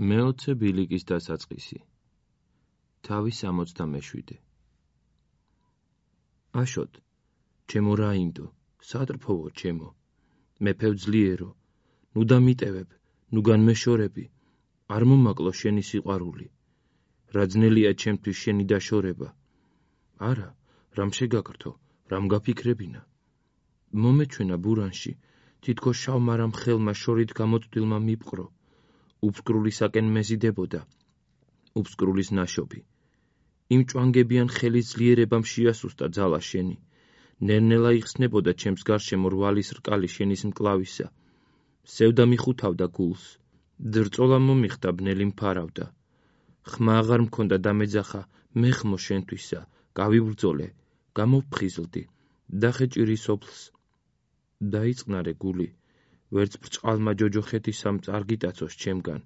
მეოცე ბილიკის დასაწყისი. თავი 67. აშოთ, ჩემო რაინდო, სატრფოვო ჩემო, მეფევ ძლიერო, ნუ დამიტევებ, ნუ განმეშორები, არ მომაკლო შენი სიყვარული, რა ძნელია ჩემთვის შენი დაშორება. არა, რამ შეგაკრთო, რამ გაფიქრებინა. მომეჩვენა ბურანში, თითქოს შავმარამ ხელმა შორით გამოწვდილმა მიპყრო, უფსკრულისაკენ მეზიდებოდა, უფსკრულის ნაშობი. იმ ჭვანგებიან ხელის ძლიერებამ შეასუსტა ძალა შენი, ნელ-ნელა იხსნებოდა ჩემს გარშემო რვალის რკალი შენის მკლავისა, სევდა მიხუთავდა გულს, ძრწოლა მომიხდა ბნელი მფარავდა. ხმა აღარ მქონდა დამეძახა, მეხმო შენთვისა, გავიბრძოლე, გამოვფხიზლდი, დახეჭირი სოფლს. დაიწყნარე გული, ვერც ბრჭყალმა ჯოჯოხეთისამ არ გიტაცოს ჩემგან,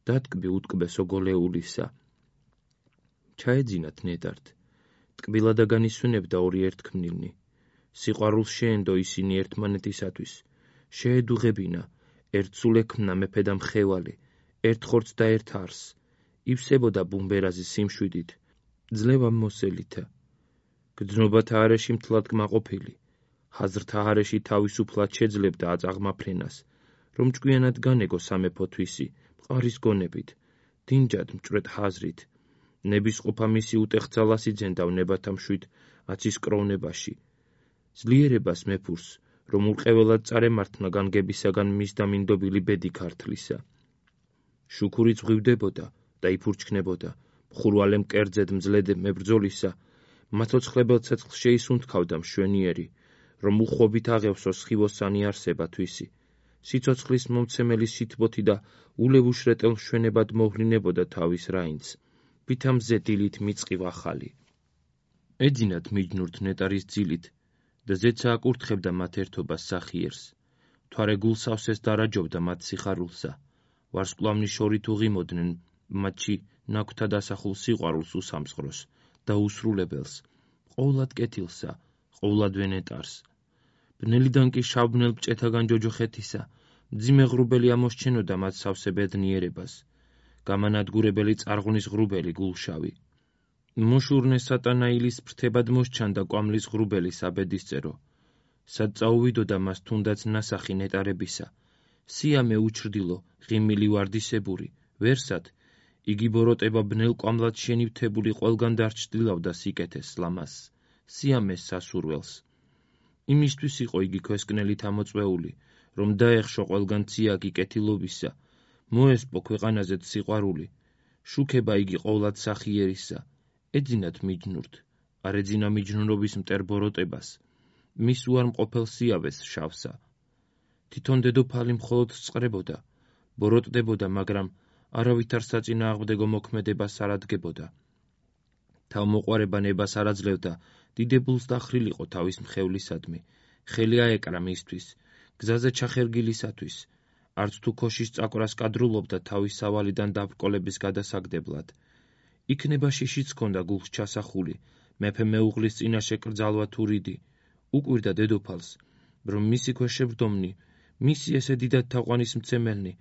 დატკბი უტკბესო გოლეულისა. ჩაეძინათ ნეტართ, ტკბილა და განისვენებდა ორი ერთქმნილნი. სიყვარულს შეენდო ისინი ერთმანეთისათვის, შეედუღებინა, ერთ სულ ექმნა მეფე და მხევალი, ერთ ხორცს და ერთ არს, ივსებოდა ბუმბერაზის სიმშვიდით, ძლევა მოსელითა. გრძნობათა არეში მთლად კმაყოფილი, ხაზრთა არეში თავისუფლად შეძლებდა აწაღმა ფრენას, რომ ჭკვიანად განეგო სამეფო თვისი, მყარის გონებით, დინჯად მჭვრეთ ხაზრით. ნებისყოფა მისი უტეხძალას იძენდა ვნებათა მშვიდ აცის კროვნებაში. ძლიერებას მეფურს, რომ ურყეველად წარემართნა განგებისაგან მის დამინდობილი ბედი ქართლისა. შუქური წღვივდებოდა და იფურჩქნებოდა, მხურვალე მკერძედ მძლედ მებრძოლისა, მაცოცხლებელ ცეცხლს შეისუნთქავდა მშვენიერი, რომ უხვობით აღევსოს სხივოსანი არსება თვისი. სიცოცხლის მომცემელი სითბოთი და ულევუშრეტელ მშვენებად მოვლინებოდა თავის რაინდს, ვითამზე დილით მიწყივ ახალი. ეძინათ მიჯნურთ ნეტარის ძილით და ზეცა აკურთხებდა მათ ერთობას სახიერს. თვარე გულსავსეს დარაჯობდა მათ სიხარულსა, ვარსკვლავნის შორით უღიმოდნენ მათში ნაქვთა დასახულ სიყვარულს უსამსღროს და უსრულებელს, ყოვლად კეთილსა, ყოვლადვე ნეტარს. ბნელიდან კი შავბნელ ბჭეთაგან ჯოჯოხეთისა, მძიმე ღრუბელი ამოსჩენოდა მათ სავსე ბედნიერებას, გამანადგურებელი წარღვნის ღრუბელი გულშავი. მოშურნე სატანაილის ფრთებად მოსჩანდა კვამლის ღრუბელი საბედისწერო. სად წაუვიდოდა მას თუნდაც ნასახი ნეტარებისა, სიამე უჩრდილო, ღიმილი ვარდისებური, ვერსად, იგი ბოროტება ბნელ კვამლად შენივთებული ყველგან დარჩtildeავდა სიკეთეს ლამას, სიამეს სასურველს. იმისთვის იყო იგი ქვესკნელით ამოწვეული, რომ დაეხშო ყველგან ციაგი კეთილობისა, მოესპო ქვეყანაზეც სიყვარული, შუქება იგი ყოვლად სახიერისა. ეძინათ მიჯნურთ, არ ეძინა მიჯნურობის მტერ ბოროტებას, მის უარმყოფელ სიავეს შავსა. თვითონ დედოფალი მხოლოდ სწრებოდა, ბოროტდებოდა, მაგრამ არავითარ საწინააღმდეგო მოქმედებას არ ადგებოდა. თავმოყვარება ნებას არ აძლევდა, დიდებულს დახრილიყო თავის მხევლისადმი, ხელი აეკრა მისთვის, გზაზე ჩახერგილისათვის, არც თუ ქოშის წაკვრას კადრულობდა თავის სავალიდან დაბრკოლების გადასაგდებლად. იქნება შიშიც ჰქონდა გულს ჩასახული, მეფე მეუღლის წინაშე კრძალვა თუ რიდი, უკვირდა დედოფალს, რომ მისი ქვეშევრდომნი, მისი ესე დიდად თაყვანისმცემელნი,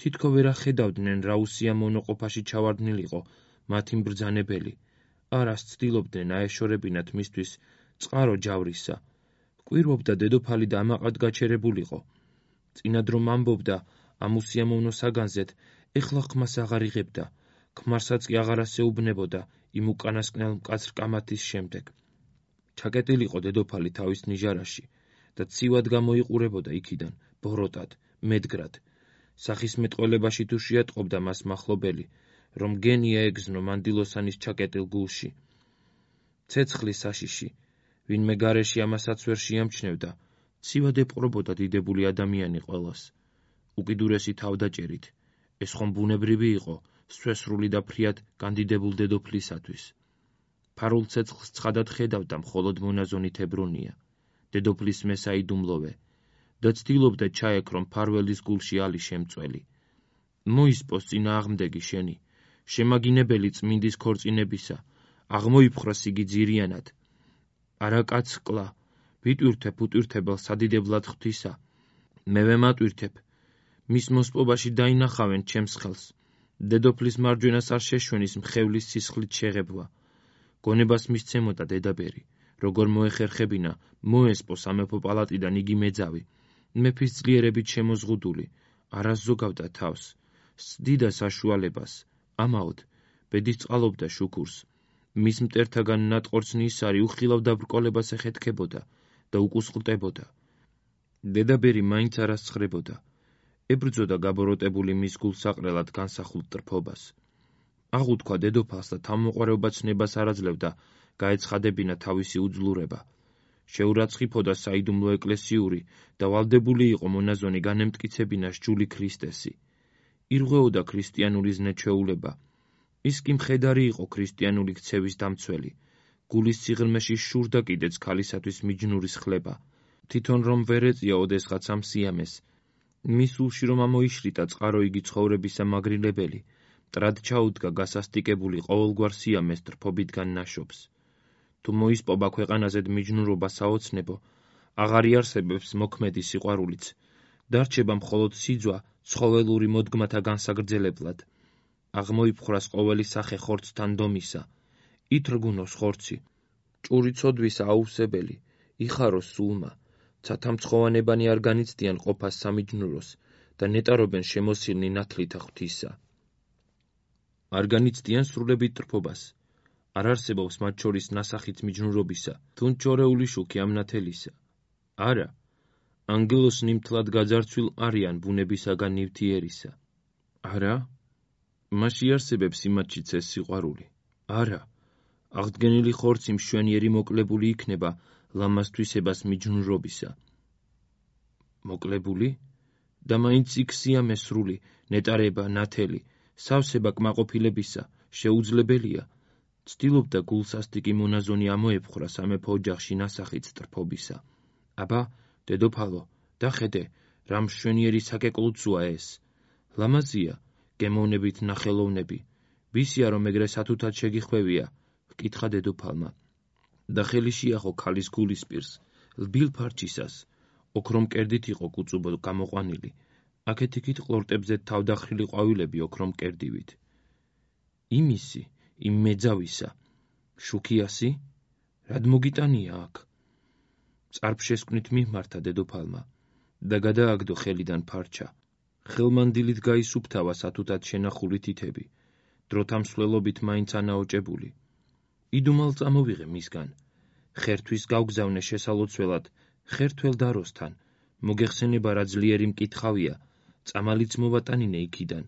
თითქო ვერ ახედავდნენ რა უსიამო მონოყოფაში ჩავარდნილიყო მათი მბრძანებელი, არას ცდილობდნენ აეშორებინათ მისთვის წყარო ჯავრისა. კვირვობდა დედოფალი და ამაყად გაჩერებულიყო. წინად რომ ამბობდა ამ უსიამოვნო საგანზეთ, ეხლა ხმას აღარ იღებდა, ქმარსაც კი აღარ ასეუბნებოდა იმ უკანასკნელ მკაცრ კამათის შემდეგ. ჩაკეტილიყო დედოფალი თავის ნიჟარაში და ცივად გამოიყურებოდა იქიდან, ბოროტად, მედგრად. სახისმეტყველებაში თუ შეატყობდა მას მახლობელი, რომ გენია ეგზნო მანდილოსანის ჩაკეტილ გულში. ცეცხლი საშიში, ვინმე გარეში ამასაც ვერ შეამჩნევდა, ცივად ეპყრობოდა დიდებული ადამიანი ყველას. უკიდურესი თავდაჭერით, ეს ხომ ბუნებრივი იყო, სვესრული და ფრიად განდიდებულ დედოფლისათვის. ფარულ ცეცხლს ცხადად ხედავდა მხოლოდ მონაზონით ებრუნია, დედოფლის მესაიდუმლოვე, და ცდილობდა ჩაეკრონ ფარველის გულში ალი შემწველი. მოისპოს წინააღმდეგი შენი, შემაგინებელი წმინდის ქორწინებისა, აღმოიფხრას იგი ძირიანად. არა კაც კლა, ვიტვირთებ უტვირთებელ სადიდებლად ღვთისა, მე ვემატვირთებ, მის მოსპობაში დაინახავენ ჩემს ხელს, დედოფლის მარჯვენას არ შეშვენის მხევლის სისხლით შეღებვა. გონებას მისცემოდა დედაბერი, როგორ მოეხერხებინა მოესპო სამეფო პალატიდან იგი მეძავი, მეფის ძლიერებით შემოზღუდული, არას ზოგავდა თავს, სდიდა საშუალებას, ამაოდ ბედის წყალობდა შუქურს, მის მტერთაგან ნატყორცნი ისარი უხილავ დაბრკოლებას ეხეთქებოდა და უკუსყლტებოდა. დედაბერი მაინც არას ცხრებოდა, ებრძოდა გაბოროტებული მის გულსაყრელად განსახულ ტრფობას. აღუთქვა დედოფალს და თავმოყრეობა ცნებას არ აძლევდა გაეცხადებინა თავისი უძლურება. შეურაცხიფოდა საიდუმლო ეკლესიური და ვალდებული იყო მონაზონი განემტკიცებინა სჯული ქრისტესი. ირღვეოდა ქრისტიანული ზნეჩვეულება. ის კი მხედარი იყო ქრისტიანული ქცევის დამცველი. გულის სიღრმეში შურდა კიდეც ქალისათვის მიჯნურის ხლება. თვითონ რომ ვერ ეწია ოდესღაც ამ სიამეს. მის სულში რომ ამოიშრიტა წყარო იგი ცხოვრებისა მაგრილებელი, მტრად ჩაუდგა გასასტიკებული ყოველგვარ სიამეს ტრფობიდან ნაშობს. თუ მოისპობა ქვეყანაზე მიჯნურობა საოცნებო, აღარ იარსებებს მოქმედი სიყვარულიც, დარჩება მხოლოდ სიძვა ცხოველური მოდგმათა განსაგრძელებლად. აღმოიფხრას ყოველი სახე ხორცთან დომისა, ითრგუნოს ხორცი, ჭური ცოდვისა აუვსებელი, იხაროს სულმა, ცათამცხოვანებანი არ განიცდიან ყოფას სამიჯნუროს და ნეტარობენ შემოსილნი ნათლითა ღვთისა. არ განიცდიან სრულებით ტრფობას, არ არსებობს მათ შორის ნასახით მიჯნურობისა, თუნ ჩორეული შუქი ამ ნათელისა. არა, ანგელოს ნიმთლად გაძარცვილ არიან ბუნებისაგან ნივთიერისა. არა, მასში არსებებს იმათშიც ეს სიყვარული. არა, აღდგენილი ხორცი მშვენიერი მოკლებული იქნება ლამაზთვისებას მიჯნურობისა. მოკლებული? და მაინც იქ სიამე სრული, ნეტარება, ნათელი, სავსება კმაყოფილებისა შეუძლებელია. ცდილობდა გულსასტიკი მონაზონი ამოეფხრა სამეფო ოჯახში ნასახით ტრფობისა. აბა, დედოფალო, დახედე, რა მშვენიერი საკეკლუცოა ეს. ლამაზია, გემოვნებით ნახელოვნები. ვისია რომ ეგრე სათუთად შეგიხვევია, ჰკითხა დედოფალმა. და ხელი შეახო ქალის გულისპირს, ლბილ ფარჩისას, ოქრომ კერდით იყო კუწუბო გამოყვანილი, აქეთ-იქით ყლორტებზე თავდახრილი ყვავილები ოქრომ კერდივით. იმისი, იმ მეძავისა, შუქიასი? რად მოგიტანია აქ? წარფშესკვნით მიმართა დედოფალმა და გადააგდო ხელიდან ფარჩა. ხელმანდილით გაისუფთავა სათუთად შენახული თითები, დროთა მსვლელობით მაინც ანაოჭებული. იდუმალ წამოვიღე მისგან, ხერთვის გავგზავნე შესალოცველად, ხერთველ დაროსთან, მოგეხსენება რა ძლიერი მკითხავია, წამალიც მოვატანინე იქიდან.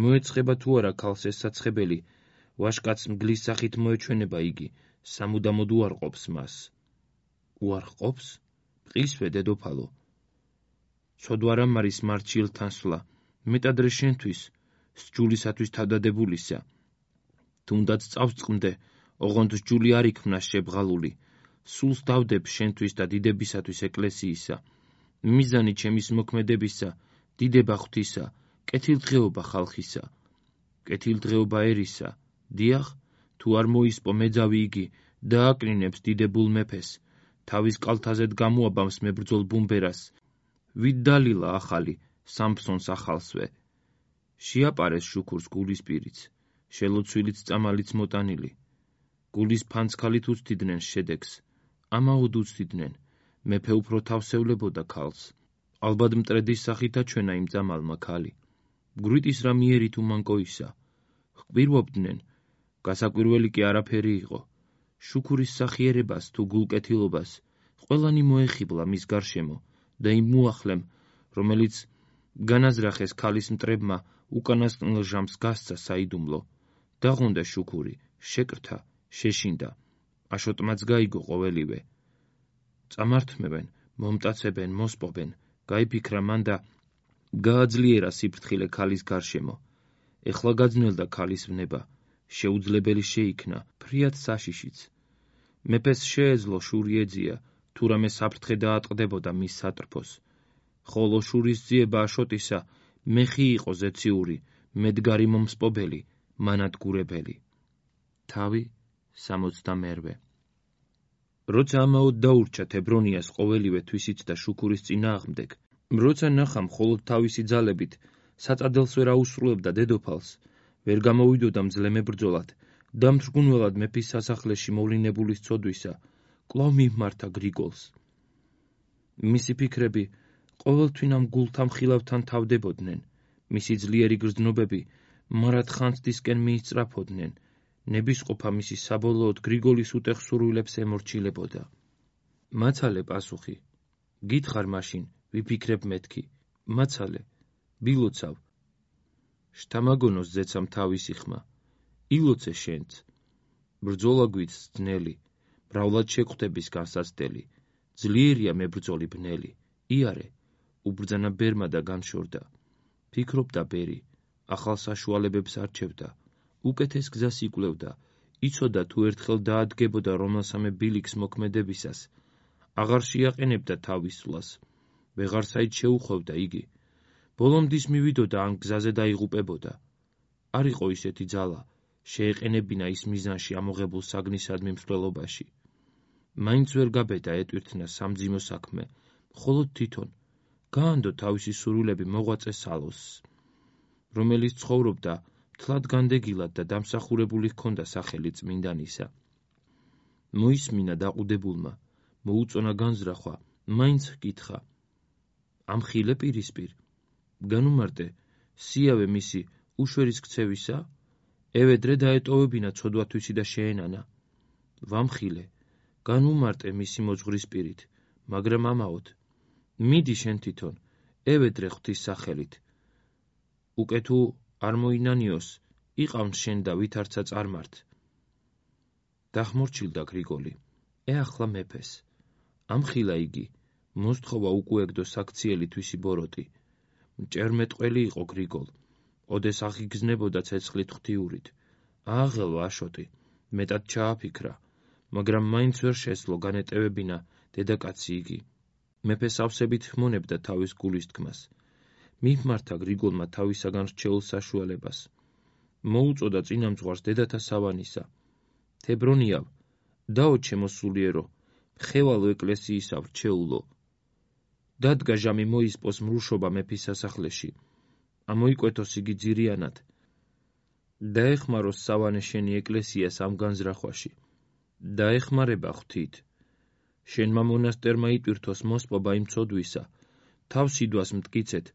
მოეცხება თუ არა ქალს ეს საცხებელი, ვაშკაც მგლის სახით მოეჩვენება იგი, სამუდამოდ უარყოფს მას. უარყოფს? ყისვე, დედოფალო. ცოდვა რამ არის მარჩილთან სვლა, მეტადრე შენთვის, სჯულისათვის თავდადებულისა. თუნდაც წავწყმდე, ოღონდ სჯული არ იქმნა შებღალული, სულს დავდებ შენთვის და დიდებისათვის ეკლესიისა. მიზანი ჩემის მოქმედებისა, დიდება ღვთისა, კეთილდღეობა ხალხისა. კეთილდღეობა ერისა, დიახ, თუ არ მოისპო მეძავი იგი, დააკნინებს დიდებულ მეფეს, თავის კალთაზედ გამოაბამს მებრძოლ ბუმბერას, ვით დალილა ახალი, სამფსონს ახალსვე. შეაპარეს შუქურს გულის პირიც, შელოცვილიც წამალიც მოტანილი. გულის ფანცქალით უცდიდნენ შედეგს, ამაოდ უცდიდნენ, მეფე უფრო თავსევლებოდა ქალს. ალბათ მტრედის სახით აჩვენა იმ წამალმა ქალი. გვრიტის რა მიერი თუ მანკოისა. ჰკვირვობდნენ, გასაკვირველი კი არაფერი იყო. შუქურის სახიერებას თუ გულკეთილობას, ყველანი მოეხიბლა მის გარშემო და იმ მოახლემ, რომელიც განაზრახეს ქალის მტრებმა, უკანასკნელ ჟამს გასცა საიდუმლო. დაღონდა შუქური, შეკრთა, შეშინდა, აშოტმაც გაიგო ყოველივე. წამართმევენ, მომტაცებენ, მოსპობენ, გაიფიქრა მან და გააძლიერა სიფრთხილე ქალის გარშემო. ეხლა გაძნელდა ქალის ვნება, შეუძლებელი შეიქნა, ფრიად საშიშიც. მეფეს შეეძლო შური ეძია, თუ რამე საფრთხე დაატყდებოდა მის სატრფოს. ხოლო შურის ძიება აშოტისა, მეხი იყო ზეციური, მედგარი მომსპობელი, მანადგურებელი. თავი 68. როცა ამაოდ დაურჩა თებრონიას ყოველივე თვისით და შუქურის წინააღმდეგ, როცა ნახა მხოლოდ თავისი ძალებით საწადელს ვერ აუსრულებდა დედოფალს, ვერ გამოვიდოდა მძლე მებრძოლად და მთრგუნველად მეფის სასახლეში მოვლინებული სცოდვისა, კვლავ მიმართა გრიგოლს. მისი ფიქრები ყოველთვინ ამ გულთა მხილავთან თავდებოდნენ, მისი ძლიერი გრძნობები მარად ხანძთისკენ მიისწრაფოდნენ, ნებისყოფა მისი საბოლოოდ გრიგოლის უტეხ სურვილებს ემორჩილებოდა. მაცალე პასუხი. გითხარ მაშინ, ვიფიქრებ მეთქი. მაცალე, ვილოცავ. შთამაგონოს ზეცამ თავისი ხმა. ილოცე შენც. ბრძოლა გვიც ძნელი, მრავლად შეკვდების განსაცდელი. ძლიერია მებრძოლი ბნელი. იარე, უბრძანა ბერმა და განშორდა. ფიქრობდა ბერი, ახალ საშუალებებს არჩევდა. უკეთეს გზას იკვლევდა, იცოდა თუ ერთხელ დაადგებოდა რომელსამე ბილიქს მოქმედებისას, აღარ შეაყენებდა თავის სვლას, ვეღარ საით შეუხვევდა იგი. ბოლომდის მივიდოდა ამ გზაზე დაიღუპებოდა. არ იყო ისეთი ძალა, შეეყენებინა ის მიზანში ამოღებულ საგნისადმი მსვლელობაში. მაინც ვერ გაბედა ეტვირთნა სამძიმო საქმე, მხოლოდ თვითონ გაანდო თავისი სურვილები მოღვაწე სალოსს, რომელიც ცხოვრობდა მთლად განდეგილად და დამსახურებული ჰქონდა სახელი წმინდანისა. მოისმინა დაყუდებულმა, მოუწონა განზრახვა, მაინც ჰკითხა. ამხილე პირისპირ, განუმარტე, სიავე მისი უშვერის ქცევისა, ევედრე დაეტოვებინა ცოდვათვისი და შეენანა. ვამხილე, განუმარტე მისი მოძღვრის პირით, მაგრამ ამაოდ, მიდი შენ თვითონ, ევედრე ღვთის სახელით. უკე თუ არ მოინანიოს, იყავნ შენ და ვითარცა წარმართ. დახმორჩილდა გრიგოლი, ეახლა მეფეს. ამხილა იგი, მოსთხოვა უკუეგდო საქციელი თვისი ბოროტი. მჭერმეტყველი იყო გრიგოლ, ოდეს აღიგზნებოდა ცეცხლით ღვთიურით. ააღელვა აშოტი, მეტად ჩააფიქრა, მაგრამ მაინც ვერ შესძლო განეტევებინა დედაკაცი იგი. მეფე სავსებით ჰმონებდა თავის გულის თქმას. მიმართა გრიგოლმა თავისაგან რჩეულ საშუალებას. მოუწოდა წინამძღვარს დედათა სავანისა. თებრონიავ, დაო ჩემო სულიერო, ხევალო ეკლესიისა ვრჩეულო. დადგა ჟამი მოისპოს მრუშობა მეფის სასახლეში. ამოიკვეთოს იგი ძირიანად. დაეხმაროს სავანე შენი ეკლესიას ამ განზრახვაში. დაეხმარება ღვთით. შენმა მონასტერმა იტვირთოს მოსპობა იმ ცოდვისა, თავს იდვას მტკიცეთ.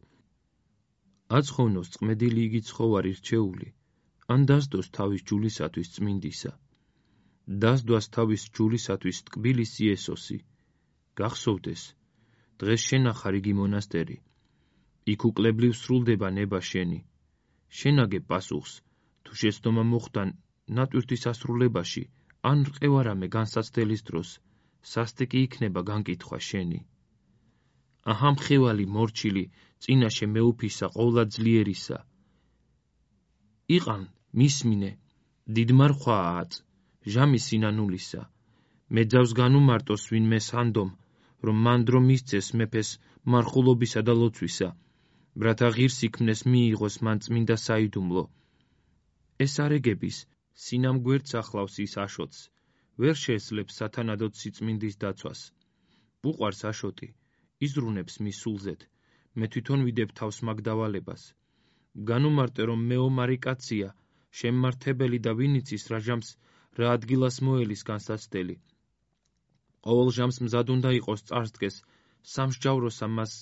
აცხოვნოს წმედილი იგი ცხოვარი რჩეული, ან დასდოს თავის ჯულისათვის წმინდისა. დასდვას თავის ჯულისათვის ტკბილის იესოსი. გახსოვდეს, დღეს შენახარ იგი მონასტერი. იქ უკლებლივ სრულდება ნება შენი. შენაგებ პასუხს, თუ შეცდომა მოხდა ნატვირთის ასრულებაში, ან რყევარამე განსაცდელის დროს, სასტიკი იქნება განკითხვა შენი. აჰა მხევალი მორჩილი, წინაშე მეუფისა ყოვლად ძლიერისა. იყან, მისმინე, დიდმარხვაა აწ, ჟამი სინანულისა. მეძავს განუმარტოს ვინმე სანდომ, რომ მანდრო მისცეს მეფეს მარხულობისა და ლოცვისა, რათა ღირს იქმნეს მიიღოს მან წმინდა საიდუმლო. ეს არეგების, სინამ გვერდს ახლავს ის აშოტს, ვერ შეესლებს სათანადოდ სიწმინდის დაცვას. უყვარს აშოტი, იზრუნებს მის სულზეთ, მე თვითონ ვიდებ თავს მაგ დავალებას. განუმარტე რომ მეომარი კაცია, შემმართებელი და ვინიცის რა ჟამს, რა ადგილას მოელის განსაცდელი. ყოველ ჟამს მზად უნდა იყოს წარსდგეს, სამსჯავროსა მას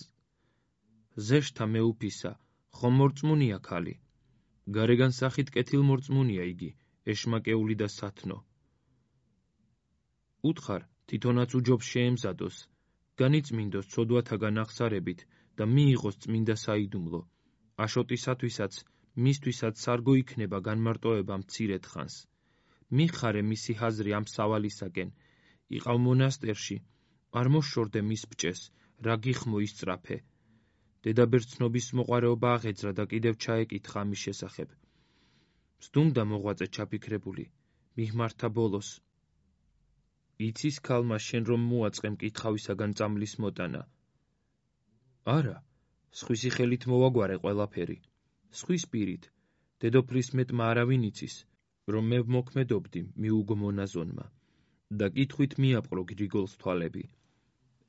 ზეშთა მეუფისა, ხომ მორწმუნია ქალი. გარეგან სახით კეთილმორწმუნია იგი, ეშმაკეული და სათნო. უთხარ, თვითონაც უჯობს შეემზადოს, განიწმინდოს ცოდვათაგან აღსარებით და მიიღოს წმინდა საიდუმლო. აშოტისათვისაც, მისთვისაც სარგო იქნება განმარტოება მცირედ ხანს. მიხარე მისი ჰაზრი ამ სავალისაკენ, იყავ მონასტერში, არ მოშორდე მის ბჭეს, რა გიხმო ისწრაფე. დედაბერძნობის მოყვარეობა აღეძრა და კიდევ ჩაეკითხა ამის შესახებ. მსდუმდა მოღვაწე ჩაფიქრებული, მიმართა ბოლოს. იცის ქალმა შენ რომ მოაწყე მკითხავისაგან წამლის მოტანა. არა, სხვისი ხელით მოვაგვარე ყველაფერი. სხვის პირით, დედოფლის მეტმა არავინ იცის, რომ მე ვმოქმედობდი მიუგო მონაზონმა და კითხვით მიაპყრო გრიგოლს თვალები.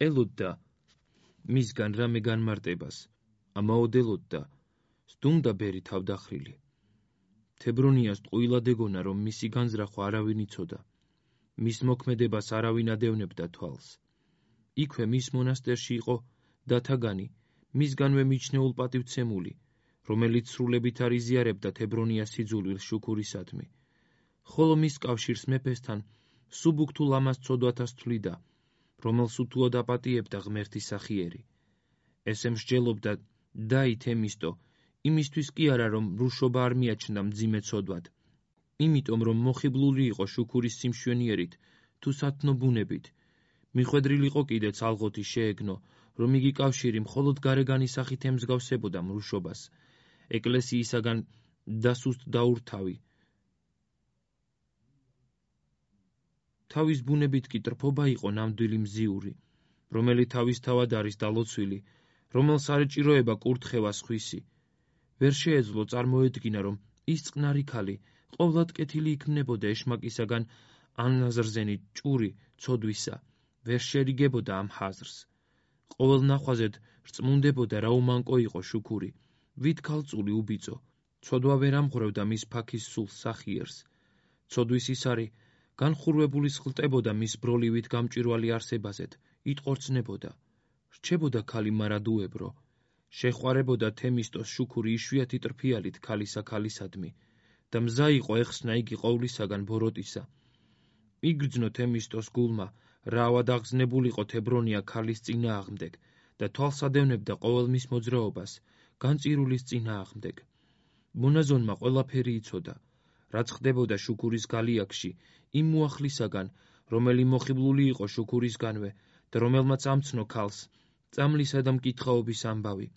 ელოდდა მისგან რამე განმარტებას, ამაოდ ელოდდა, სდუმდა ბერი თავდახრილი. თებრონიას ტყუილად ეგონა, რომ მისი განზრახვა არავინ იცოდა. მის მოქმედებას არავინ ადევნებდა თვალს. იქვე მის მონასტერში იყო დათაგანი, მისგანვე მიჩნეულ პატივცემული, რომელიც სრულებით არ იზიარებდა თებრონიას სიძულვილს შუქურისადმი. ხოლო მის კავშირს მეფესთან სუბუქთუ ლამაზ ცოდვათას თვლიდა, რომელს უთუოდ აპატიებდა ღმერთის სახიერი. ესე მსჯელობდა დაი თემისტო, იმისთვის კი არა, რომ რუშობა არ მიაჩნდა მძიმე ცოდვად, იმიტომ რომ მოხიბლული იყო შუქურის სიმშვენიერით თუ სათნო ბუნებით. მიხვედრილი იყო კიდეც ალღოთი შეეგნო, რომ იგი კავშირი მხოლოდ გარეგანი სახით ემსგავსებოდა მრუშობას, ეკლესიისაგან დასუსტ დაურთავი. თავის ბუნებით კი ტრფობა იყო ნამდვილი მზიური, რომელიც თავისთავად არის დალოცვილი, რომელს არ ეჭიროება კურთხევა სხვისი. ვერ შეეძლო წარმოედგინა, რომ ის წყნარი ქალი ყოვლად კეთილი იქმნებოდა ეშმაკისაგან ანაზრზენი ჭური ცოდვისა, ვერ შერიგებოდა ამ ხაზრს. ყოველ ნახვაზედ რწმუნდებოდა, რა უმანკო იყო შუქური, ვით ქალწული უბიწო, ცოდვა ვერ ამღვრევდა მის ფაქის სულს სახიერს. ცოდვის ისარი განხურვებული სხლტებოდა მის ბროლივით გამჭვირვალე არსებაზედ, იტყორცნებოდა. რჩებოდა ქალი მარადუებრო, შეხვარებოდა თემისტოს შუქური იშვიათი ტრფიალით ქალისა ქალისადმი და მზა იყო ეხსნა იგი ყოვლისაგან ბოროტისა. იგრძნო თემისტოს გულმა, რა ავადაღზნებულიყო თებრონია ქალის წინააღმდეგ და თვალს ადევნებდა ყოველ მის მოძრაობას, განწირულის წინააღმდეგ. მონაზონმა ყველაფერი იცოდა, რაც ხდებოდა შუქურის გალიაკში, იმ მოახლისაგან, რომელი მოხიბლული იყო შუქურისგანვე და რომელმაც ამცნო ქალს წამლისა და მკითხაობის ამბავი.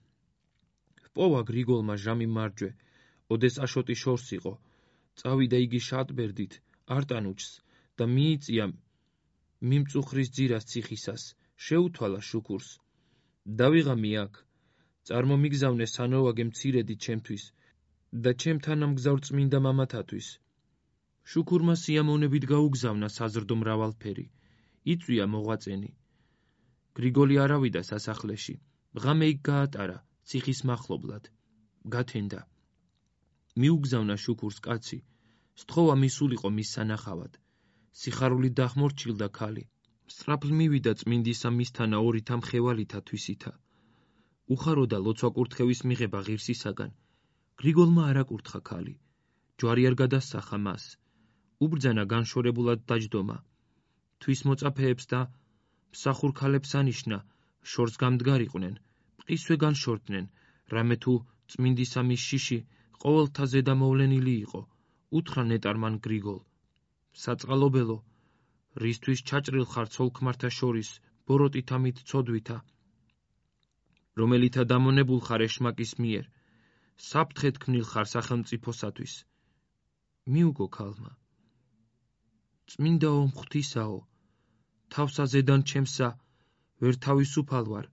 ჰპოვა გრიგოლმა ჟამი მარჯვე, ოდეს აშოტი შორს იყო, წავიდა იგი შატბერდით არტანუჩს და მიიწია მიმწუხრის ძირას ციხისას, შეუთვალა შუქურს. დავიღამი აქ, წარმომიგზავნე სანოვაგე მცირედი ჩემთვის და ჩემთან ამგზავრ წმინდა მამათათვის. შუქურმა სიამოვნებით გაუგზავნა საზრდო მრავალფერი, იწვია მოღვაწენი. გრიგოლი არავიდა სასახლეში, ღამე იქ გაატარა, ციხის მახლობლად. გათენდა. მიუგზავნა შუქურს კაცი, სთხოვა მისულიყო მის სანახავად. სიხარულით დახმორჩილდა ქალი. სწრაფლ მივიდა წმინდისა მისთანა ორი თამხევალითა თვისითა. უხაროდა ლოცვა კურთხევის მიღება ღირსისაგან. გრიგოლმა არ აკურთხა ქალი. ჯვარი არ გადასახა მას. უბრძანა განშორებულად დაჯდომა. თვის მოწაფეებს და მსახურ ქალებს ანიშნა, შორს გამდგარიყვნენ, მყისვე განშორდნენ, რამე თუ წმინდისა მის შიში ყოველთა ზედა მოვლენილი იყო. უთხრა ნეტარმან გრიგოლ. საწყალობელო, რისთვის ჩაჭრილ ხარ ცოლ-ქმართა შორის ბოროტით ამით ცოდვითა, რომელითა დამონებულ ხარ ეშმაკის მიერ, საფრთხე თქმნილ ხარ სახელმწიფოსათვის. მიუგო ქალმა. წმინდაო მღვთისაო, თავსა ზედან ჩემსა, ვერ თავისუფალ ვარ.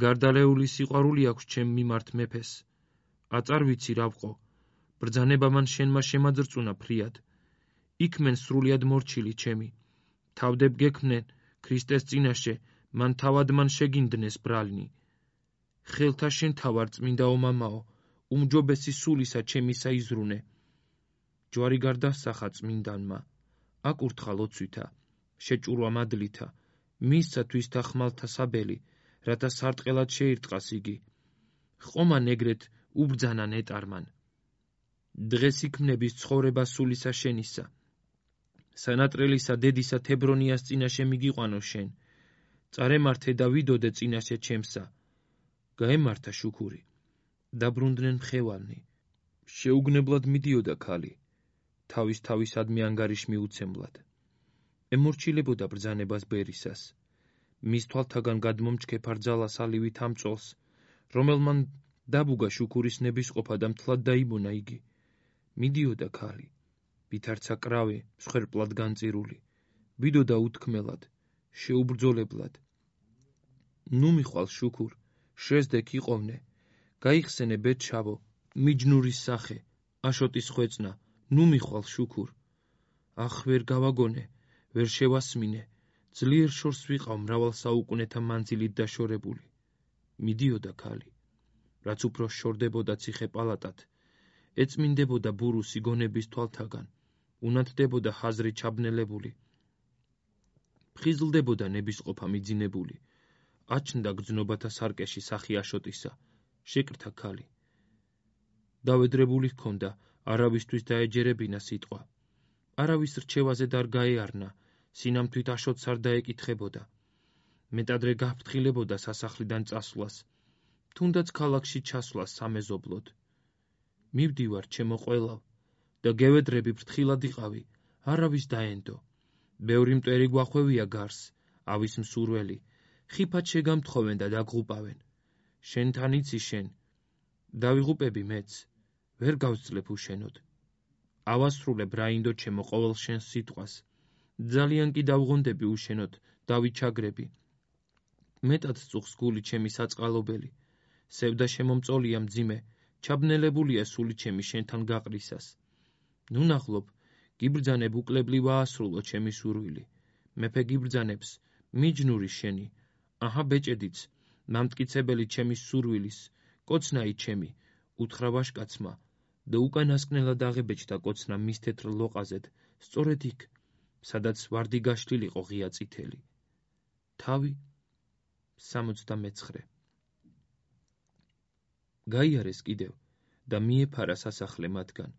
გარდალეული სიყვარული აქვს ჩემ მიმართ მეფეს. აწარ ვიცი რა ვყო, ბრძანება მან შენმა შემაძრწუნა ფრიად. იქმენ სრულიად მორჩილი ჩემი. თავდებ გექმნენ ქრისტეს წინაშე, მან თავად მან შეგინდნეს ბრალნი. ხელთა შენ თავარ წმინდაო მამაო, უმჯობესი სულისა ჩემისა იზრუნე. ჯვარი გარდასახა წმინდანმა, აკურთხა ლოცვითა, შეჭურვა მადლითა, მისცა თვისთა ხმალთა საბელი, რათა სარტყელად შეირტყას იგი. ხომან ეგრეთ უბრძანა ნეტარმან. დღეს იქმნების ცხოვრება სულისა შენისა. სანატრელისა დედისა თებრონიას წინაშე მიგიყვანო შენ. წარემართე და ვიდოდე წინაშე ჩემსა. გაემართა შუქური. დაბრუნდნენ მხევალნი. შეუგნებლად მიდიოდა ქალი. თავისადმი ანგარიშ მიუცემლად. ემორჩილებოდა ბრძანებას ბერისას. მის თვალთაგან გადმომჩქე ფარძალას ალივით ამწოლს, რომელმან დაბუგა შუქურის ნებისყოფა და მთლად დაიბონა იგი. მიდიოდა ქალი, ვითარცა კრავი, მსხვერპლად განწირული, ვიდოდა უთქმელად, შეუბრძოლებლად. ნუ მიხვალ შუქურ, შეზდექ იყოვნე, გაიხსენე ბედშავო, მიჯნურის სახე, აშოტის ხვეწნა, ნუ მიხვალ შუქურ. ახ ვერ გავაგონე, ვერ შევასმინე, ძლიერ შორს ვიყავ მრავალ საუკუნეთა მანძილით დაშორებული. მიდიოდა ქალი. რაც უფრო შორდებოდა ციხე პალატად, ეწმინდებოდა ბურუსი გონების თვალთაგან, უნათდებოდა ხაზრი ჩაბნელებული, ფხიზლდებოდა ნებისყოფა მიძინებული, აჩნდა გრძნობათა სარკეში სახი აშოტისა, შეკრთა ქალი. დავედრებული ჰქონდა, არავისთვის დაეჯერებინა სიტყვა. არავის რჩევაზე არ გაეარნა, სინამთვით აშოტს არ დაეკითხებოდა. მეტადრე გაფრთხილებოდა სასახლიდან წასვლას, თუნდაც ქალაქში ჩასვლას სამეზობლოდ. მივდივარ, ჩემო ყველავ, და გევედრები ფრთხილად იყავი, არავის დაენდო. ბევრი მტვერი გვახვევია გარს, ავის მსურველი, ხიფად შეგამთხოვენ და დაგღუპავენ. შენთან იცი შენ, დავიღუპები მეც, ვერ გავსძლებ უშენოდ. ავასრულებ რაინდო ჩემო ყოველ შენს სიტყვას, ძალიან კი დავღონდები უშენოდ, დავიჩაგრები. მეტად წუხს გული ჩემი საწყალობელი, სევდა შემომწოლია მძიმე, ჩაბნელებულია სული ჩემი შენთან გაყრისას. ნუ ნახლობ, გიბრძანებ უკლებლი ვაასრულო ჩემი სურვილი. მეფე გიბრძანებს, მიჯნური შენი, აჰა ბეჭედიც, მამტკიცებელი ჩემი სურვილის, კოცნაი ჩემი, უთხრა ვაშკაცმა, და უკანასკნელად აღებეჭდა კოცნა მის თეთრ ლოყაზედ, სწორედ იქ, სადაც ვარდი გაშლილიყო ღია წითელი. თავი 69. გაიარეს კიდევ და მიეფარა სასახლე მათგან.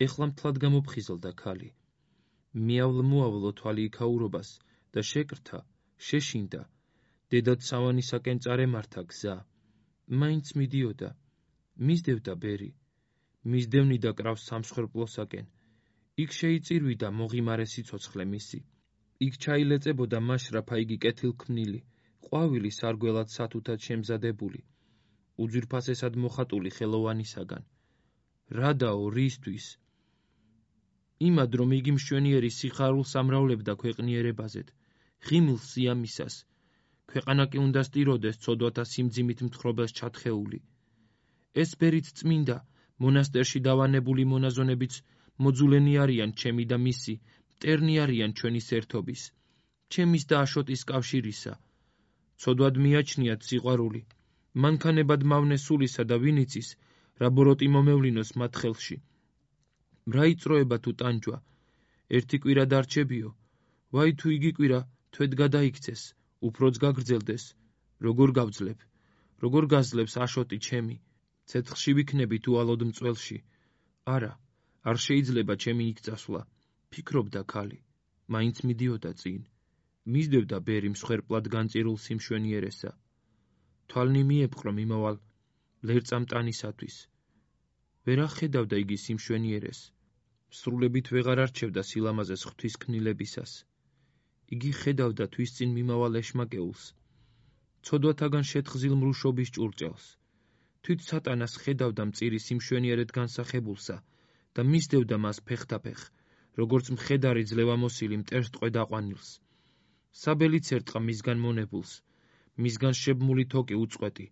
ეხლა მთლად გამოფხიზლდა ქალი. მიავლმუავლო თვალი იქაურობას და შეკრთა, შეშინდა. დედად სავანისაკენ წარემართა გზა. მაინც მიდიოდა, მისდევდა ბერი. მისდევნიდა კრავს სამსხვერპლოსაკენ. იქ შეიწირვიდა მოღიმარე სიცოცხლე მისი. იქ ჩაილეწებოდა მაშრაფა იგი კეთილქმნილი, ყვავილი სარგველად სათუთად შემზადებული, უძვირფასესად მოხატული ხელოვანისაგან. რადაო, რისთვის? იმად, რომ იგი მშვენიერი სიხარულს ამრავლებდა ქვეყნიერებაზედ, ღიმილს სიამისას, ქვეყანა კი უნდა სტიროდეს ცოდვათა სიმძიმით მთხრობელს ჩათხეული. ეს ბერით წმინდა, მონასტერში დავანებული მონაზონებიც მოძულენი არიან ჩემი და მისი, მტერნი არიან ჩვენი სერთობის, ჩემის და აშოტის კავშირისა. ცოდვად მიაჩნიათ სიყვარული, მანქანებად მავნე სულისა და ვინიცის, რა ბოროტი მომევლინოს მათ ხელში. რა იწროება თუ ტანჯვა, ერთი კვირა დარჩებიო, ვაი თუ იგი კვირა თვედ გადაიქცეს, უფროც გაგრძელდეს, როგორ გავძლებ, როგორ გაძლებს აშოტი ჩემი, ცეცხლში ვიქნები თუ ალოდ მწველში. არა, არ შეიძლება ჩემი იქ წასვლა, ფიქრობდა ქალი, მაინც მიდიოდა წინ. მისდევდა ბერი მსხვერპლად განწირულს სიმშვენიერესა. თვალნი მიეპყრო მიმავალ ლერწამტანისათვის. ვერ ახედავდა იგი სიმშვენიერეს, სრულებით ვეღარ არჩევდა სილამაზეს ღვთის კნილებისას. იგი ხედავდა თვის წინ მიმავალ ეშმაკეულს, ცოდვათაგან შეთხზილ მრუშობის ჭურჭელს. თვით სატანას ხედავდა მწირი სიმშვენიერედ განსახებულსა და მისდევდა მას ფეხთაფეხ, როგორც მხედარი ძლევამოსილი მტერს ტყვედ-აყვანილს. საბელიც ერტყა მისგან მონებულს, მისგან შებმული თოკი უწყვეტი,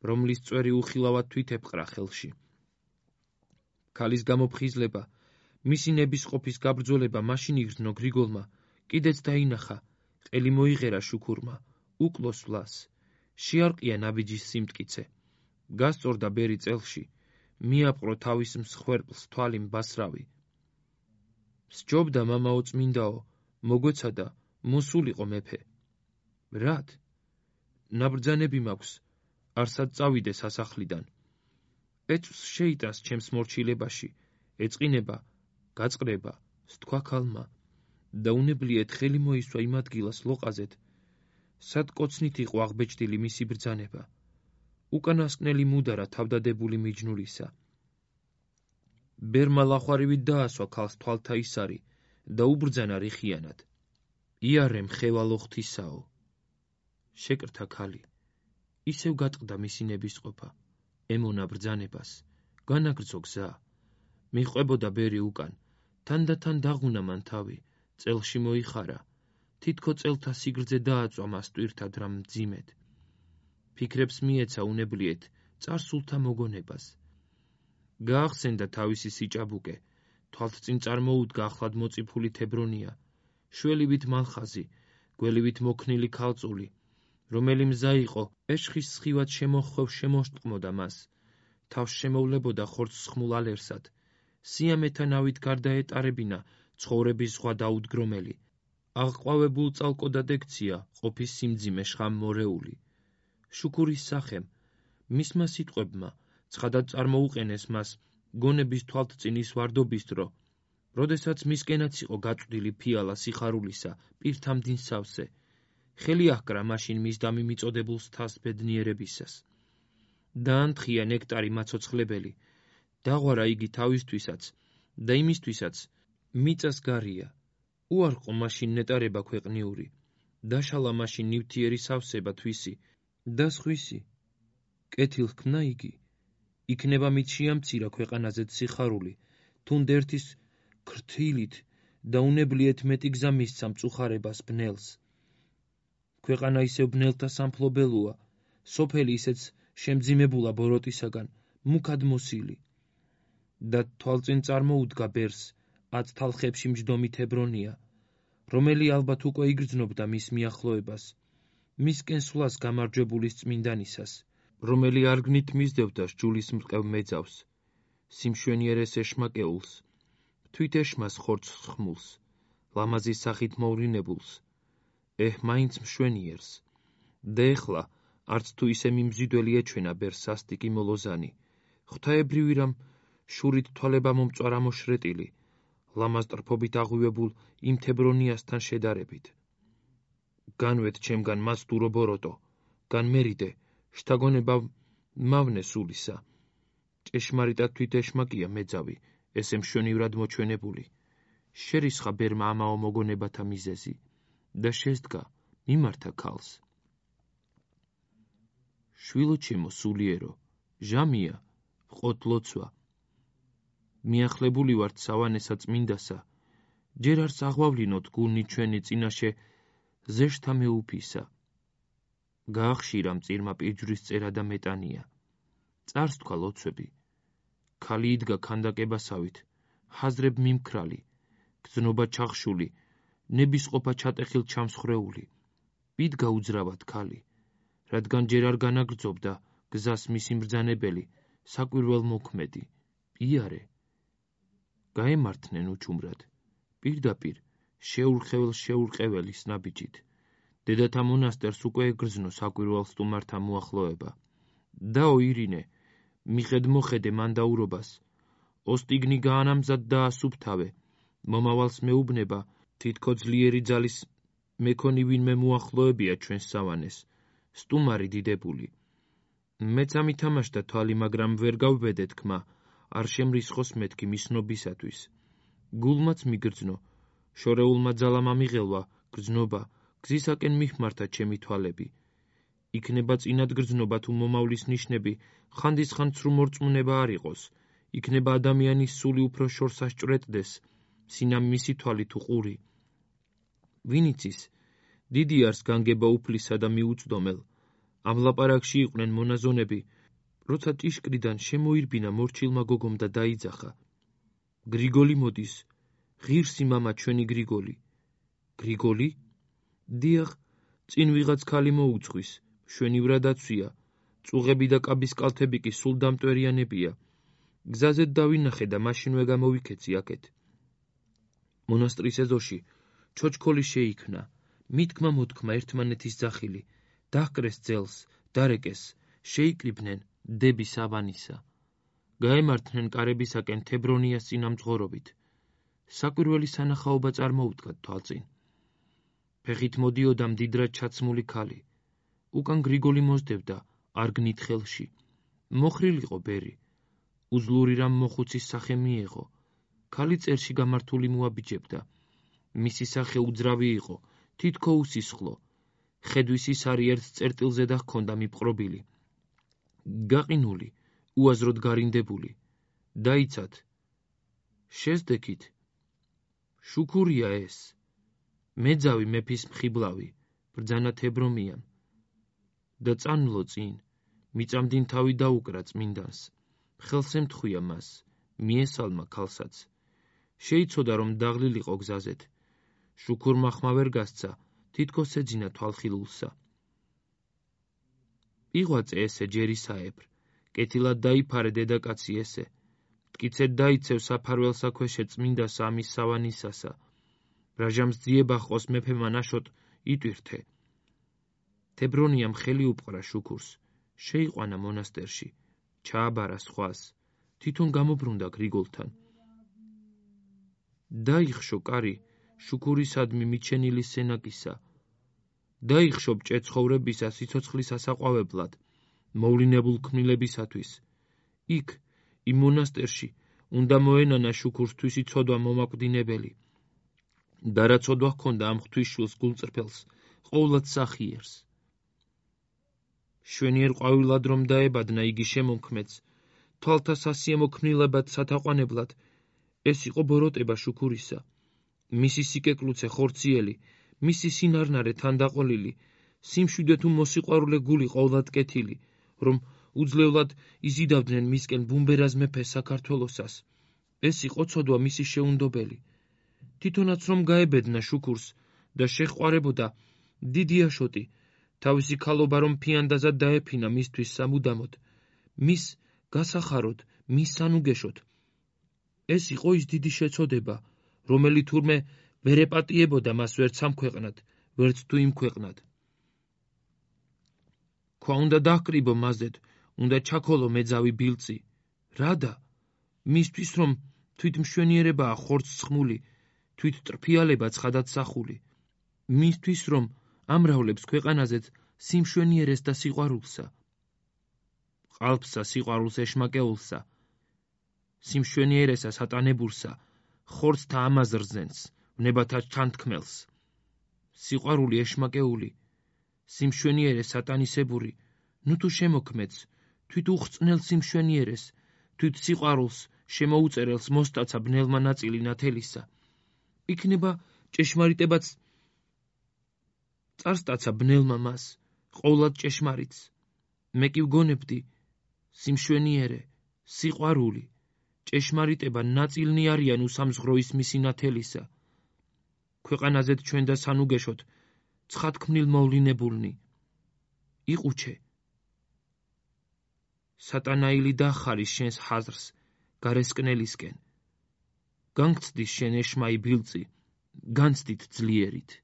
რომლის წვერი უხილავად თვით ეპყრა ხელში. ქალის გამოფხიზლება, მისი ნებისყოფის გაბრძოლება მაშინ იგრძნო გრიგოლმა, კიდეც დაინახა, ყელი მოიღერა შუქურმა, უკლოს ვლას, შეარყია ნაბიჯის სიმტკიცე. გასწორდა ბერი წელში, მიაპყრო თავის მსხვერპლს თვალი mbasravi. სჯობდა მამაო წმინდაო, მოგვეცადა, მოსულიყო მეფე. რად? ნაბრძანები მაქვს, არსად წავიდე სასახლიდან. ეწვს შეიტანს ჩემს მორჩილებაში, ეწყინება, გაწყრება, სთქვა ქალმა, და უნებლიეთ ხელი მოისვა იმ ადგილას ლოყაზეთ, სად კოცნით იყო აღბეჭდილი მისი ბრძანება. უკანასკნელი მუდარა თავდადებული მიჯნურისა. ბერმა ლახვარივით დაასვა ქალს თვალთა ისარი და უბრძანა რიხიანად. იარე მხევალო ღვთისაო. შეკრთა ქალი. ისევ გატყდა მისი ნებისყოფა, ემონა ბრძანებას, განაგრძო გზა. მიჰყვებოდა ბერი უკან, თანდათან დაღუნა მან თავი, წელში მოიხარა, თითქო წელთა სიგრძე დააწვა მას ტვირთად რამ მძიმედ. ფიქრებს მიეცა უნებლიეთ წარსულთა მოგონებას. გაახსენდა თავისი სიჭაბუკე, თვალთწინ წარმოუდგა ახლად მოწიფული თებრონია, შველივით მალხაზი, გველივით მოქნილი ქალწული, რომელი მზა იყო, ეშხის სხივად შემოხვევ შემოსტყმოდა მას, თავს შემოვლებოდა ხორცს ხმულ ალერსად, სიამეთა ნავით გარდაეტარებინა ცხოვრების ზღვა დაუდგრომელი, აღყვავებულ წალკოდად ექცია ყოფის სიმძიმე შხამმორეული. შუქურის სახემ, მისმა სიტყვებმა, ცხადად წარმოუყენეს მას გონების თვალთწინის ვარდობის დრო, როდესაც მისკენაც იყო გაწვდილი ფიალა სიხარულისა პირთა მდინ სავსე, ხელი აჰკრა მაშინ მის დამიმიწოდებულ სთას ბედნიერებისას. დაანთხია ნექტარი მაცოცხლებელი, დაღვარა იგი თავისთვისაც და იმისთვისაც მიწას გარია, უარყო მაშინ ნეტარება ქვეყნიური, დაშალა მაშინ ნივთიერი სავსება თვისი და სხვისი. კეთილ ჰქმნა იგი, იქნება მით შეამცირა ქვეყანაზე სიხარული, თუნდ ერთის ქრთილით და უნებლიეთ მეტი გზა მისცა მწუხარებას ბნელს. ქვეყანა ისევ ბნელთა სამფლობელოა, სოფელი ისეც შემძიმებულა ბოროტისაგან, მუქად მოსილი. და თვალწინ წარმოუდგა ბერს, ათ თალხებში მჯდომი თებრონია, რომელი ალბათ უკვე იგრძნობდა მის მიახლოებას, მისკენ სვლას გამარჯვებულის წმინდანისას, რომელი არგნით მისდევდა სჯულის მრყევ მეძავს, სიმშვენიერეს ეშმაკეულს, თვით ეშმას ხორცს ხმულს, ლამაზის სახით მოვრინებულს, მაინც მშვენიერს, და ეხლა, არც თუ ისე მიმზიდველი ეჩვენა ბერს სასტიკი მოლოზანი, ღვთაებრივი რამ შურით თვალება მომწვარა მოშრეტილი, ლამაზ ტრფობით აღვივებულ იმ თებრონიასთან შედარებით. განვეთ ჩემგან მაცდურო ბოროტო, განმერიდე, შთაგონება მავნე სულისა. ჭეშმარიტად თვით ეშმაკია მეძავი, ესე მშვენივრად მოჩვენებული. შერისხა ბერმა ამაო მოგონებათა მიზეზი და შესდგა მიმართა ქალს. შვილო ჩემო სულიერო, ჟამია, ვყოთ ლოცვა. მიახლებული ვართ სავანესა წმინდასა, ჯერ არც აღვავლინოთ გულნი ჩვენი წინაშე ზეშთა მეუფისა. გაახშირა მწირმა პირჯვრის წერა და მეტანია. წარს თქვა ლოცვები. ქალი იდგა ქანდაკებასავით, ჰაზრებ მიმქრალი, გზნობა ჩახშული, ნებისყოფა ჩატეხილ ჩამსხრეული. იდგა უძრავად ქალი, რადგან ჯერ არ განაგრძობდა გზას მისი მბრძანებელი, საკვირველ მოქმედი, იარე. გაემართნენ უჩუმრად, პირდაპირ, შეურყეველის ნაბიჯით. დედათა მონასტერს უკვე ეგრძნო საკვირველ სტუმართა მოახლოება. დაო ირინე, მიხედ მოხედე მანდაურობას, ოსტიგნი გაანამზად და ასუფთავე, მომავალს მეუბნება, თითქო ძლიერი ძალის მექონი ვინმე მოახლოებია ჩვენს სავანეს, სტუმარი დიდებული. მეც ამითამაშდა თვალი, მაგრამ ვერ გავბედე თქმა, არ შემრისხოს მეთქი მისნობისათვის. გულმაც მიგრძნო, შორეულმა ძალამ ამიღელვა, გრძნობა, გზისაკენ მიხმართა ჩემი თვალები. იქნება წინად გრძნობა თუ მომავლის ნიშნები, ხანდისხან ცრუ მორწმუნება არ იყოს, იქნება ადამიანის სული უფრო შორს ასჭვრეტდეს, სინამ მისი თვალი თუ ყური. ვინ იცის, დიდი არს განგება უფლისა და მიუწდომელ, ამ ლაპარაკში იყვნენ მონაზონები, როცა ჭიშკრიდან შემოირბინა მორჩილმა გოგომ და დაიძახა. გრიგოლი მოდის, ღირსი მამა ჩვენი გრიგოლი. გრიგოლი? დიახ, წინ ვიღაც ქალი მოუძღვის, მშვენივრად აცვია, წუღები და კაბის კალთები კი სულ დამტვერიანებია. გზაზე დავინახე და მაშინვე გამოვიქეცი აქეთ. მონასტრის ეზოში ჩოჩქოლი შეიქმნა, მითქმა მოთქმა ერთმანეთის ძახილი, დაჰკრეს ძელს, დარეკეს, შეიკრიბნენ დები სავანისა. გაემართნენ კარებისაკენ თებრონიას წინამძღვრობით. საკვირველი სანახაობა წარმოუდგათ თვალწინ. ფეხით მოდიოდა მდიდრად ჩაცმული ქალი. უკან გრიგოლი მოსდევდა არგნით ხელში. მოხრილიყო ბერი. უძლური რამ მოხუცის სახე მიეღო. ქალი წერში გამართული მოაბიჯებდა. მისი სახე უძრავი იყო, თითქო უსისხლო. ხედვის ის არი ერთ წერტილზე და ჰქონდა მიპყრობილი. გაყინული, უაზროდ გარინდებული. დაიცათ. შეზდექით. შუქურია ეს. მეძავი მეფის მხიბლავი, ბრძანა თებრომიან. და წანვლო წინ, მიწამდინ თავი დაუკრა წმინდანს. ხელს ემთხვია მას, მიესალმა ქალსაც. შეიცოდა რომ დაღლილიყო გზაზეთ. შუქურმა ხმა ვერ გასცა, თითქოს ეძინა თვალხილულსა. იღვაწე ესე ჯერისაებრ, კეთილად დაიფარე დედაკაცი ესე, მტკიცედ დაიცევ საფარველსა ქვეშე წმინდა სამის სავანისასა, ბრაჟამს ძიება ხოს მეფემა ნაშოთ იტვირթե. თებრონიამ ხელი უპყრა შუქურს, შეიყვანა მონასტერში, ჩააბარა სხვას, თვითონ გამობრუნდა გრიგოლთან. დაიხშო კარი შუქურისადმი მიჩენილი სენაკისა, დაიხშო ბჭე ცხოვრებისა სიცოცხლის ასაყვავებლად, მოვლინებულ ქმნილებისათვის. იქ, იმ მონასტერში, უნდა მოენანა შუქურსთვისი ცოდვა მომაკვდინებელი. და რა ცოდვა ჰქონდა ამ ღვთისშვილს გულწრფელს, ყოვლად სახიერს. შვენიერ ყვავილად რომ დაებადნა იგი შემომქმედს, თვალთა სასიამო ქმნილებად სათაყვანებლად, ეს იყო ბოროტება შუქურისა. მისი სიკეკლუცე ხორციელი, მისი სინარნარე თანდაყოლილი, სიმშვიდე თუ მოსიყვარულე გული ყოვლად კეთილი, რომ უძლევლად იზიდავდნენ მისკენ ბუმბერაზ მეფეს საქართველოსას. ეს იყო ცოდვა მისი შეუნდობელი. თვითონაც რომ გაებედნა შუქურს და შეჰყარებოდა დიდი აშოტი, თავისი ქალობა რომ ფიანდაზად დაეფინა მისთვის სამუდამოდ, მის გასახაროდ, მის სანუგეშოდ. ეს იყო ის დიდი შეცოდება, რომელი თურმე ვერ ეპატიებოდა მას ვერც ამ ქვეყნად, ვერც თუ იმ ქვეყნად. ქვა უნდა დაჰკრიბო მაზედ, უნდა ჩაქოლო მეძავი ბილწი. რადა? მისთვის რომ თვით მშვენიერებაა ხორცს ხმული, თვით ტრფიალება ცხადად სახული. მისთვის რომ ამრავლებს ქვეყანაზეც სიმშვენიერეს და სიყვარულსა. ყალბსა სიყვარულს ეშმაკეულსა, სიმშვენიერესა სატანებურსა, ხორცთა ამაზრზენს, ვნებათა ჩანთქმელს. სიყვარული ეშმაკეული, სიმშვენიერე სატანისებური, ნუ თუ შემოქმედს, თვით უხრწნელ სიმშვენიერეს, თვით სიყვარულს შემოუწერელს მოსტაცა ბნელმა ნაწილი ნათელისა. იქნება ჭეშმარიტებაც წარსტაცა ბნელმა მას, ყოვლად ჭეშმარიტს. მე კი ვგონებდი, სიმშვენიერე, სიყვარული, ჭეშმარიტება ნაწილნი არიან უსამზღროის მისი ნათელისა. ქვეყანაზეთ ჩვენ და სანუგეშოთ, ცხადქმნილ მოვლინებულნი. იყუჩე. სატანაილი დახარის შენს ხაზრს გარესკნელისკენ. განგცდის შენ ეშმაი ბილწი, განცდით ძლიერით.